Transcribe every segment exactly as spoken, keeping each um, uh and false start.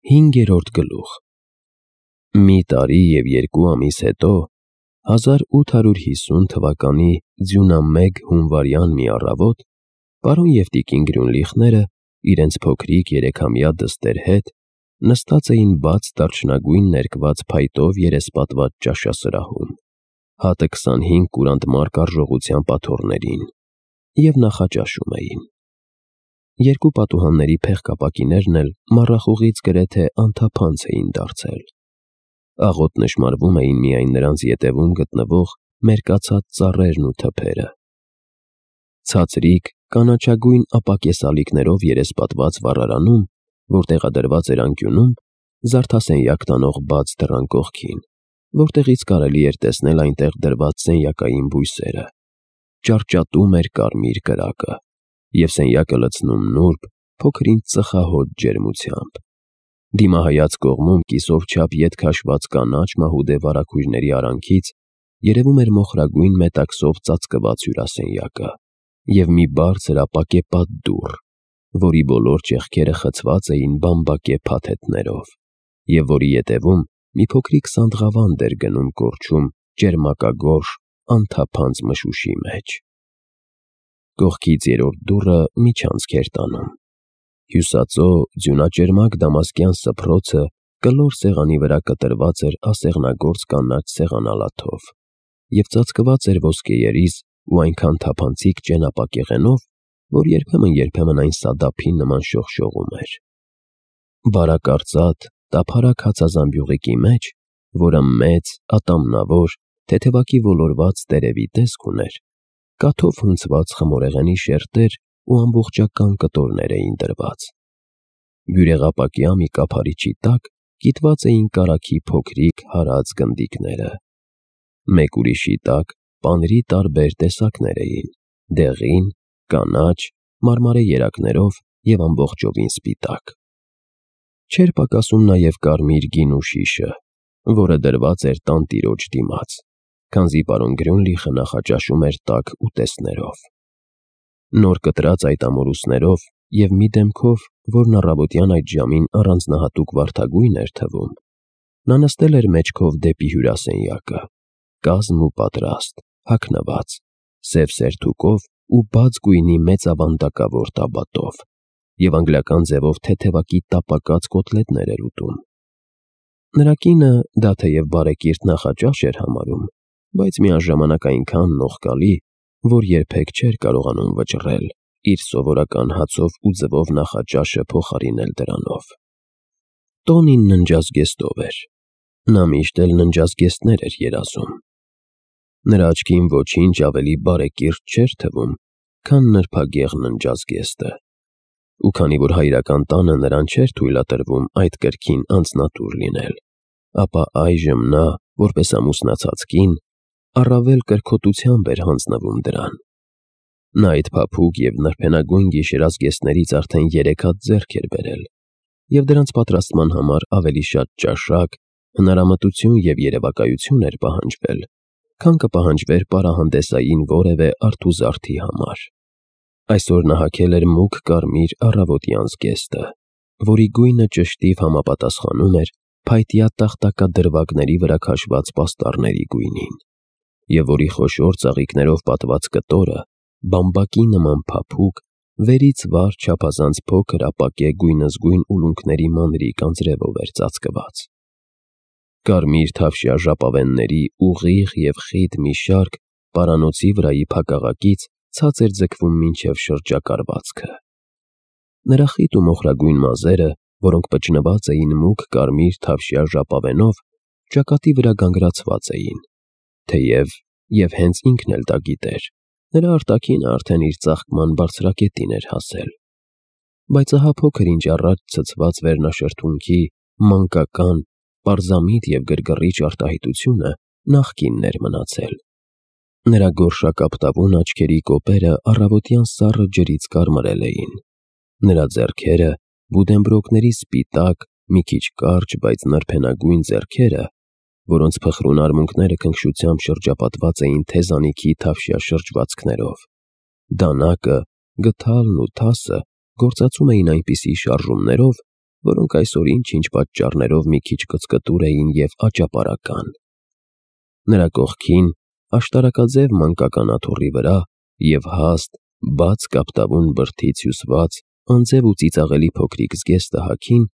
Հինգերորդ գլուխ։ Մի տարի և երկու ամիս հետո, հազար ութ հարյուր հիսուն թվականի ձյունամեգ հունվարյան մի առավոտ, պարոն և տիկին Գրյունլիխները իրենց փոքրիկ երեքամյա դստեր հետ նստած էին բաց դարչնագույն ներկված փայտով երեսպատված ճաշասրահում, հատը քսանհինգ կուրանտ մարկ արժողությամբ աթոռներին, և նախաճաշում էին։ Երկու պատուհանների փեղկապակիներն էլ մառախուղից գրեթե անթափանց էին դարձել։ Աղոտ նշմարվում էին միայն նրանց ետևում գտնվող մերկացած ծառերն ու թփերը։ Ցածրիկ, կանաչագույն ապակես երեսպատված վառարանում, որ տեղադրված էր անկյունում, զարդասենյակ տանող բաց դռան կողքին, որտեղից կարելի էր տեսնել այնտեղ դրված սենյակային բույսերը, ճարճատում էր կարմիր կրակը, և սենյակը լցնում նուրբ, փոքր-ինչ ծխահոտ ջերմությամբ։ Դիմահայաց կողմում կիսով չափ ետ քաշված կանաչ մահուդե վարագույրների արանքից երևում էր մոխրագույն մետաքսով ծածկված հյուրասենյակը և մի բարձր ապակե պատդուռ, որի բոլոր ճեղքերը խցված էին բամբակե փաթեթներով, և որի ետևում մի փոքրիկ սանդղավանդ էր գնում կորչում ճերմակագորշ, անթափանց մշուշի մեջ։ Կողքից երրորդ դուռը միջանցք էր տանում։ Հյուսածո ձյունաճերմակ դամասկյան սփռոցը կլոր սեղանի վրա կտրված էր ասեղնագործ կանաչ սեղանալաթով և ծածկված էր ոսկեերիս ու այնքան թափանցիկ ճենապակեղենով, որ երբեմն-երբեմն այն սադափի նման շողշողում էր։ Բարակարծատ, տափարակ հացազամբյուղիկի մեջ, որը մեծ, ատամնավոր, թեթևակի ոլորված տերևի տեսք ուներ, կաթով հունցված խմորեղենի շերտեր ու ամբողջական կտորներ էին դրված։ Բյուրեղապակյա մի կափարիչի տակ կիտված էին կարագի փոքրիկ հարած գնդիկները։ Մեկ ուրիշի տակ պանրի տարբեր տեսակներ էին՝ դեղին, կանաչ, մարմարե երակներով և ամբողջովին սպիտակ։ Չէր պակասում նաև կարմիր գինու շիշը, որը դրված էր տանտիրոջ դիմաց, քանզի պարոն Գրյունլիխը նախաճաշում էր տաք ուտեստներով։ Նոր կտրած այդ ամորուսներով և մի դեմքով, որն առավոտյան այդ ժամին առանձնահատուկ վարդագույն էր թվում, նա նստել էր մեջքով դեպի հյուրասենյակը, կազմ ու պատրաստ, հագնված, սև սերթուկով ու բաց գույնի մեծ ավանդակավոր տաբատով, և անգլիական ձևով թեթևակի տապակած կոտլետներ էր ուտում։ Նրա կինը դա թեև բարեկիրթ նախաճաշ էր համարում, բայց միաժամանակ այնքան նողկալի, որ երբեք չէր կարողանում վճռել իր սովորական հացով ու ձվով նախաճաշը փոխարինել դրանով։ Տոնին ննջազգեստով էր։ Նա միշտ էլ ննջազգեստներ էր երազում։ Նրա աչքին ոչինչ ավելի բարեկիրթ չէր թվում, քան նրբագեղ ննջազգեստը, ու քանի որ հայրական տանը նրան չէր թույլատրվում այդ կրքին անձնատուր լինել, ապա այժմ նա, որպես ամուսնացած կին, առավել կրքոտությամբ էր հանձնվում դրան։ Նա այդ փափուկ և նրբենագույն գիշերազգեստներից արդեն երեք հատ ձեռք էր բերել, և դրանց պատրաստման համար ավելի շատ ճաշակ, հնարամտություն և երևակայություն էր պահանջվել, քան կպահանջվեր պարահանդեսային որևէ արթուզարդի համար։ Այսօր նա հագել էր մուգ կարմիր առավոտյան զգեստը, որի գույնը ճշտիվ համապատասխանում էր փայտյա տախտակադրվագների վրա քաշված պաստառների գույնին, և որի խոշոր ծաղիկներով պատված կտորը բամբակի նման փափուկ, վերից վար չափազանց փոքր ապակե գույնզգույն ուլունքների մանրիկ անձրևով էր ծածկված։ Կարմիր թավշյա ժապավենների ուղիղ և խիտ մի շարք պարանոցի վրայի փակաղակից ցած էր ձգվում մինչև շրջակառվածքը։ Նրա խիտ ու մոխրագույն մազերը, որոնք պճնված էին մուգ կարմիր թավշյա ժապավենով, ճակատի վրա գանգրացված էին, թեև, և հենց ինքն էլ դա գիտեր, նրա արտաքինը արդեն իր ծաղկման բարձրակետին էր հասել, բայց ահա փոքր-ինչ առաջ ցցված վերնաշրթունքի մանկական, պարզամիտ և գրգռիչ արտահայտությունը նախկինն էր մնացել։ Նրա գորշակապտավուն աչքերի կոպերը առավոտյան սառը ջրից կարմրել էին։ Նրա ձեռքերը, բուդենբրոկների սպիտակ, մի քիչ կարճ, բայց նրբենագույն ձեռքերը, որոնց փխրուն արմունկները քնքշությամբ շրջապատված էին թեզանիքի թավշյա շրջվածքներով, դանակը, գդալն ու թասը գործածում էին այնպիսի շարժումներով, որոնք այսօր ինչ-ինչ պատճառներով մի քիչ կծկտուր էին և աճապարական։ Նրա կողքին, աշտարակաձև մանկական աթոռի վրա և հաստ, բաց կապտավուն բրդից հյուսված անձև ու ծիծաղելի փոքրիկ զգեստը հագին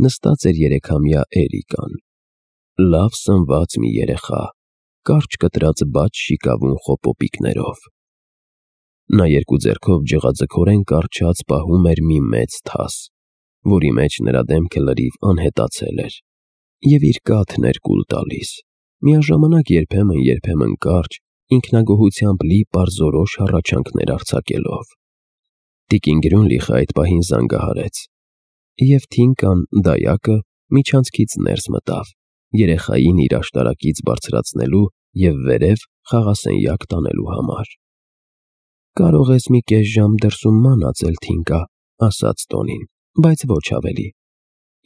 նստած էր երեքամյա Էրիկան։ Լավ սնված մի երեխա, կարճ կտրած բաց շիկավուն խոպոպիկներով։ Նա երկու ձեռքով ջղաձգորեն կառչած պահում էր մի մեծ թաս, որի մեջ նրա դեմքը լրիվ անհետացել էր, և իր կաթն էր կուլ տալիս, միաժամանակ երբեմն-երբեմն կարճ, ինքնագոհությամբ լի պարզորոշ հառաչանքներ արձակելով։ Տիկին Գրյունլիխը այդ պահին զանգահարեց, և Թինկան, դայակը, միջանցքից ներս մտավ, երեխային իր աշտարակից բարձրացնելու և վերև խաղասենյակ տանելու համար։ «Կարող ես մի կես ժամ դրսում մանածել, Թինկա», ասաց Տոնին, «բայց ոչ ավելի։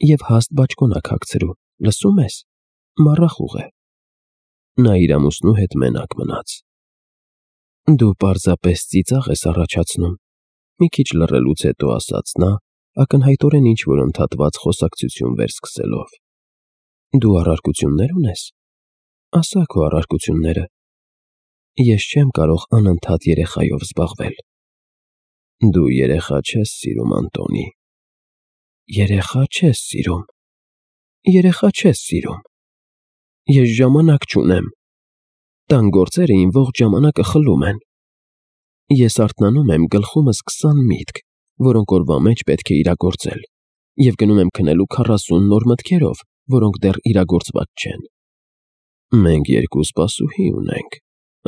Եվ հաստ բաճկոնակ հագցրու, լսո՞ւմ ես, մառախուղ է»։ Նա իր ամուսնու հետ մենակ մնաց։ «Դու պարզապես ծիծաղ ես առաջացնում», մի քիչ լռելուց հետո ասաց նա, ակնհայտորեն ինչ-որ ընդհատված խոսակցություն վերսկսելով։ «Դու առարկություննե՞ր ունես։ Ասա քո առարկությունները։ Ես չեմ կարող անընդհատ երեխայով զբաղվել»։ «Դու երեխա չես սիրում, Անտոնի»։ «Երեխա չես սիրում։ Երեխա չես սիրում։ Ես ժամանակ չունեմ։ Տան գործերը իմ ողջ ժամանակը խլում են։ Ես արթնանում եմ, գլխումս քսան միտք, որոնք օրվա մեջ պետք է իրագործել, և գնում եմ քնելու քառասուն նոր մտքերով, որոնք դեռ իրագործված չեն։ Մենք երկու սպասուհի ունենք,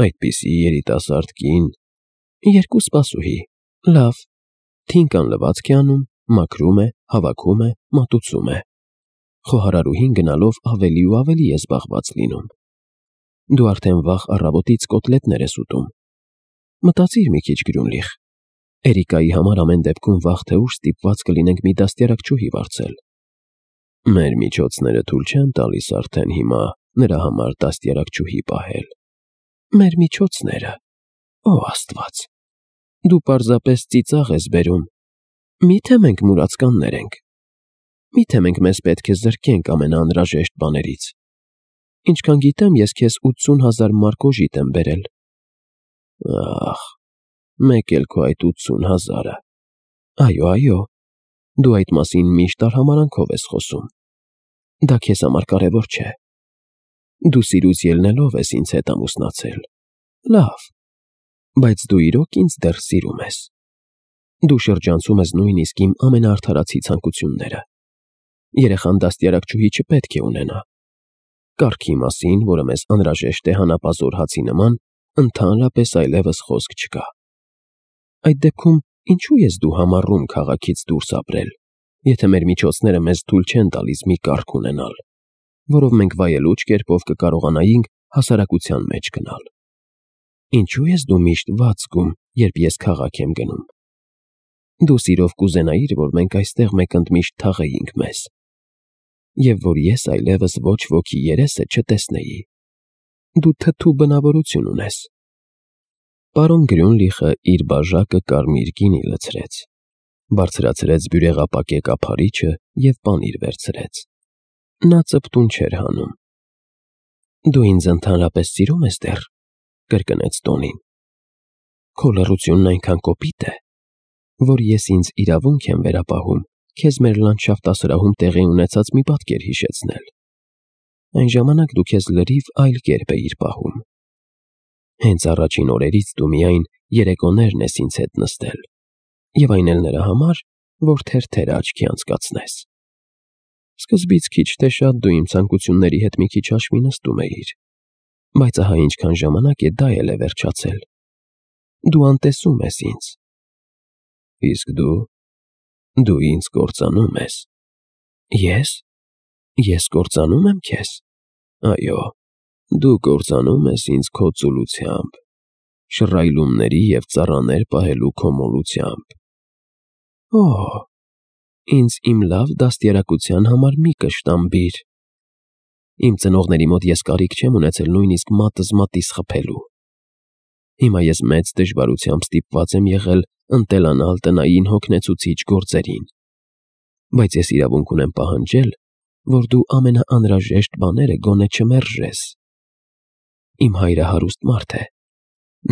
այդպիսի երիտասարդ կին։ Երկու սպասուհի, լավ։ Թինկան լվացք է անում, մաքրում է, հավաքում է, մատուցում է։ Խոհարարուհին գնալով ավելի ու ավելի է զբաղված լինում։ Դու արդեն վաղ առավոտից կոտլետներ ես ուտում։ Մտածիր մի քիչ, Գրյունլիխ։ Էրիկայի համար ամեն դեպքում վաղ թե ուշ ստիպված կլինենք մի դաստիարակչուհի վարձել։ Մեր միջոցները թույլ չեն տալիս արդեն հիմա նրա համար դաստիարակչուհի պահել։ Մեր միջոցները… Օ Աստված… Դու պարզապես ծիծաղ ես բերում։ Մի՞թե մենք մուրացկաններ ենք։ Մի՞թե մենք մեզ պետք է զրկենք ամենաանհրաժեշտ բաներից։ Ինչքան գիտեմ, ես քեզ ութսուն հազար մարկ օժիտ եմ բերել։ Ախ, մեկ էլ քո այդ ութսուն հազարը… Այո, այո, դու այդ մասին միշտ արհամարհանքով ես խոսում։ Դա քեզ համար կարևոր չէ։ Դու սիրուց ելնելով ես ինձ հետ ամուսնացել։ Լավ, բայց դու իրոք ինձ դեռ սիրում ես։ Դու շրջանցում ես նույնիսկ իմ ամենաարդարացի ցանկությունները։ Երեխան դաստիարակչուհի չպետք է ունենա։ Կարգի մասին, որը մեզ անհրաժեշտ է հանապազոր հացի նման, ընդհանրապես այլևս խոսք չկա։ Այդ դեպքում ինչու ես դու համառում քաղաքից դուրս ապրել, եթե մեր միջոցները մեզ թույլ չեն տալիս մի կարգ ունենալ, որով մենք վայելուչ կերպով կկարողանայինք հասարակության մեջ գնալ։ Ինչու ես դու միշտ վատ զգում, երբ ես քաղաք եմ գնում։ Դու սիրով կուզենայիր, որ մենք այստեղ մեկընդմիշտ թաղեինք մեզ, և որ ես այլևս ոչ ոքի երեսը չտեսնեի։ Դու թթու բնավորություն ունես։ Պարոն Գրյունլիխը իր բաժակը կարմիր գինի լցրեց, բարձրացրեց բյուրեղապակե կափարիչը և պանիր վերցրեց։ Նա ծպտուն չէր հանում։ Դու ինձ ընդհանրապես սիրում ես դեռ, կրկնեց Տոնին։ Քո լռությունն այնքան կոպիտ է, որ ես ինձ իրավունք եմ վերապահում քեզ մեր լանդշաֆտասրահում տեղի ունեցած մի պատկեր հիշեցնել։ Այն ժամանակ դու քեզ լրիվ այլ կերպ էիր պահում։ Հենց առաջին օրերից դու միայն երեկոներն ես ինձ հետ նստել, և այն էլ նրա համար, որ թերթերը աչքի անցկացնես։ Սկզբից քիչ թե շատ դու իմ ցանկությունների հետ մի քիչ հաշվի նստում էիր, բայց ահա ինչքան ժամանակ է դա էլ է վերջացել։ Դու անտեսում ես ինձ։ Իսկ դու… դու ինձ կործանում ես։ Ես… ես կործանում եմ քեզ։ Այո, դու կործանում ես ինձ քո ծուլությամբ, շռայլումների և ծառաներ պահելու քո մոլությամբ։ Օ՜, ինձ իմ լավ դաստիարակության համար մի կշտամբիր։ Իմ ծնողների մոտ ես կարիք չեմ ունեցել նույնիսկ մատս մատիս խփելու։ Հիմա ես մեծ դժվարությամբ ստիպված եմ եղել ընտելանալ տնային հոգնեցուցիչ գործերին։ բայց ես իրավունք ունեմ պահանջել, որ դու ամենաանհրաժեշտ բաները գոնե չմերժես։ Իմ հայրը հարուստ մարդ է,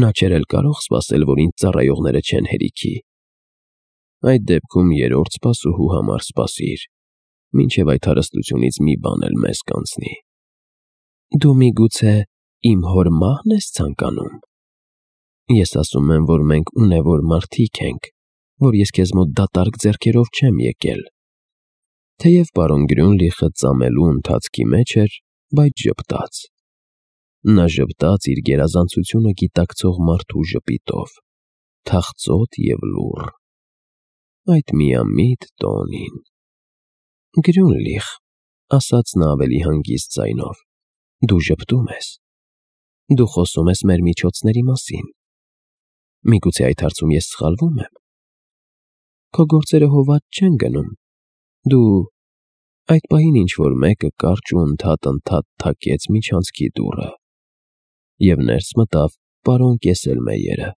նա չէր էլ կարող սպասել, որ ինձ ծառայողները չեն հերիքի։ Այդ դեպքում երրորդ սպասուհու համար սպասիր, մինչև այդ հարստությունից մի բան էլ մեզ կանցնի։ Դու միգուցե իմ հոր մահն ես ցանկանում։ Ես ասում եմ, որ մենք ունևոր մարդիկ ենք, որ ես քեզ մոտ դատարկ ձեռքերով չեմ եկել։ Թեև պարոն Գրյունլիխը ծամելու ընթացքի մեջ էր, բայց ժպտաց։ Նա ժպտաց իր գերազանցությունը գիտակցող մարդու ժպիտով, թախծոտ և լուռ։ Այդ միամիտ տոնին։ Գրյունլիխ, ասաց նա ավելի հանգիստ ձայնով, դու ժպտում ես։ Դու խոսում ես մեր միջոցների մասին։ Միգուցե այդ հարցում ես սխալվում եմ։ Քո գործերը հովատ չեն գնում։ Դու… Այդ պահին ինչ֊որ մեկը կարճ ու ընդհատ֊ընդհատ թակեց միջանցքի դուռը, և ներս մտավ պարոն Կեսելմեյերը։